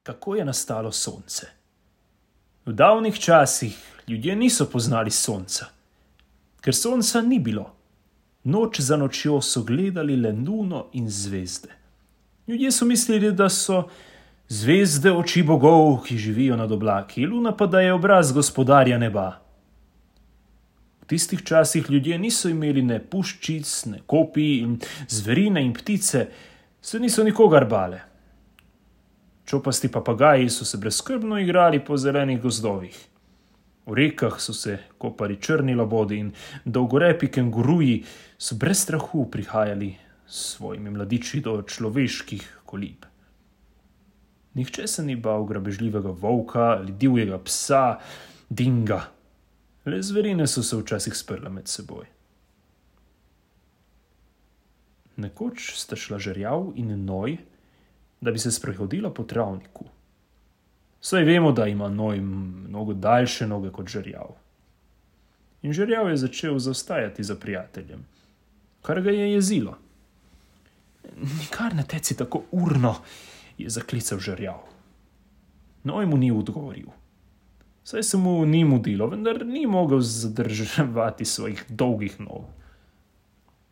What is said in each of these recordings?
kako je nastalo sonce. V davnih časih ljudje niso poznali sonca, ker sonca ni bilo. Noč za nočjo so gledali le luno in zvezde. Ljudje so mislili, da so zvezde oči bogov, ki živijo nad oblaki, luna pa da je obraz gospodarja neba. V tistih časih ljudje niso imeli ne puščic, ne kopij in zverine in ptice, se niso nikogar bale. Čopasti papagaji so se brezskrbno igrali po zelenih gozdovih. V rekah so se kopali črni labodi in dolgorepi kenguruji so brez strahu prihajali s svojimi mladiči do človeških kolib. Nihče se ni bal grabežljivega volka ali divjega psa, dinga. Le zverine so se včasih sprle med seboj. Nekoč sta šla žerjav in noj, da bi se sprehodila po travniku. Saj vemo, da ima noj mnogo daljše noge kot žerjav. In žerjav je začel zaostajati za prijateljem, kar ga je jezilo. Nikar ne teci tako urno, je zaklical žerjav. Noj mu ni odgovoril. Saj se mu ni mudilo, vendar ni mogel zadrževati svojih dolgih nog.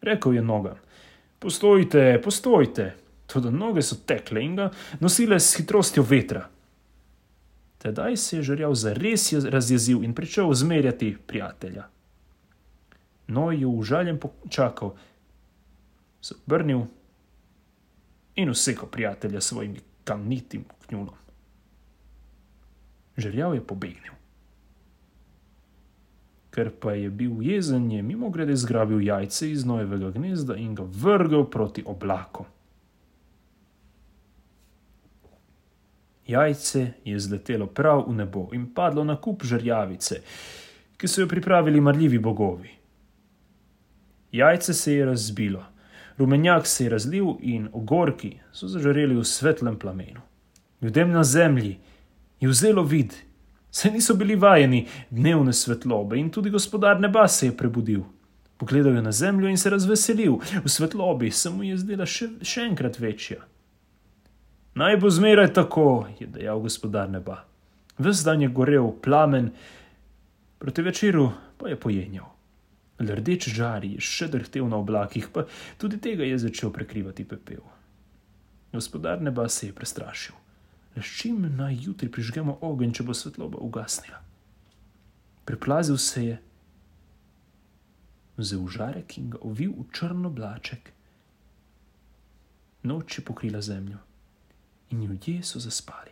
Rekel je nogam: postojte, postojte. Toda noge so tekle in ga nosile s hitrostjo vetra. Tedaj se je žerjav zares razjezil in pričel zmerjati prijatelja. Noj je užaljen počakal, se obrnil in usekal prijatelja svojim kamnitim kljunom. Žerjav je pobegnil. Ker pa je bil jezen, je mimogrede zgrabil jajce iz nojevega gnezda in ga vrgel proti oblakom. Jajce je zletelo prav v nebo in padlo na kup žerjavice, ki so jo pripravili marljivi bogovi. Jajce se je razbilo, rumenjak se je razlil in ogorki so zažareli v svetlem plamenu. Ljudem na zemlji je vzelo vid, saj niso bili vajeni dnevne svetlobe, in tudi gospodar neba se je prebudil. Pogledal je na zemljo in se razveselil, v svetlobi se mu je zdela še enkrat večja. Naj bo zmeraj tako, je dejal gospodar neba. Ves dan je gorel plamen, proti večeru pa je pojenjal. Le rdeč žar je še drhtel na oblakih, pa tudi tega je začel prekrivati pepel. Gospodar neba se je prestrašil. Le s čim naj jutri prižgemo ogenj, če bo svetloba ugasnila? Priplazil se je, vzel žarek in ga ovil v črn oblaček. Noč je pokrila zemljo in ljudje so zaspali.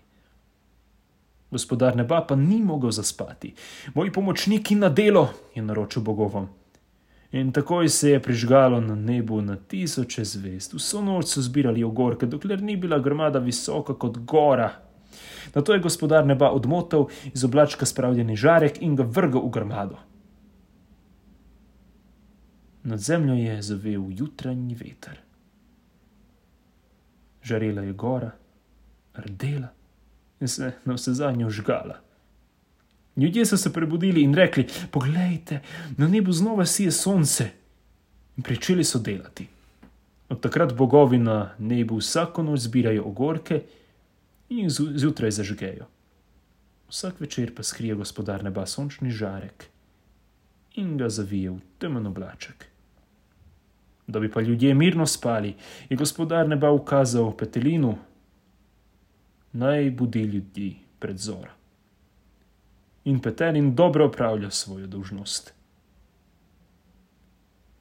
Gospodar neba pa ni mogel zaspati. Moji pomočniki na delo, je naročil bogovom. In takoj se je prižgalo na nebu na tisoče zvezd. Vso noč so zbirali ogorke, dokler ni bila grmada visoka kot gora. Nato je gospodar neba odmotal iz oblačka spravljeni žarek in ga vrgel v grmado. Nad zemljo je zavel jutranji veter. Žarela je gora, rdela in se navsezadnje vžgala. Ljudje so se prebudili in rekli: poglejte, na nebu znova sije sonce. In pričeli so delati. Od takrat bogovi na nebu vsako noč zbirajo ogorke in jih zjutraj zažgejo. Vsak večer pa skrije gospodar neba sončni žarek in ga zavije v temen oblaček. Da bi pa ljudje mirno spali, je gospodar neba ukazal petelinu, naj budi ljudi pred zoro. In petelin dobro opravlja svojo dolžnost.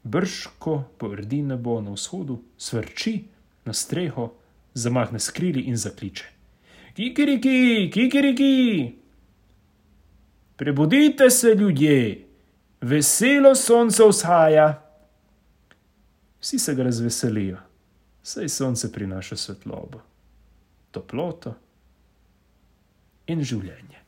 Brž ko pordi nebo na vzhodu, svrči na streho, zamahne s krili in zakliče: kikiriki, kikiriki! Prebudite se, ljudje, veselo sonce vzhaja. Vsi se ga razveselijo, saj sonce prinaša svetlobo, toploto in življenje.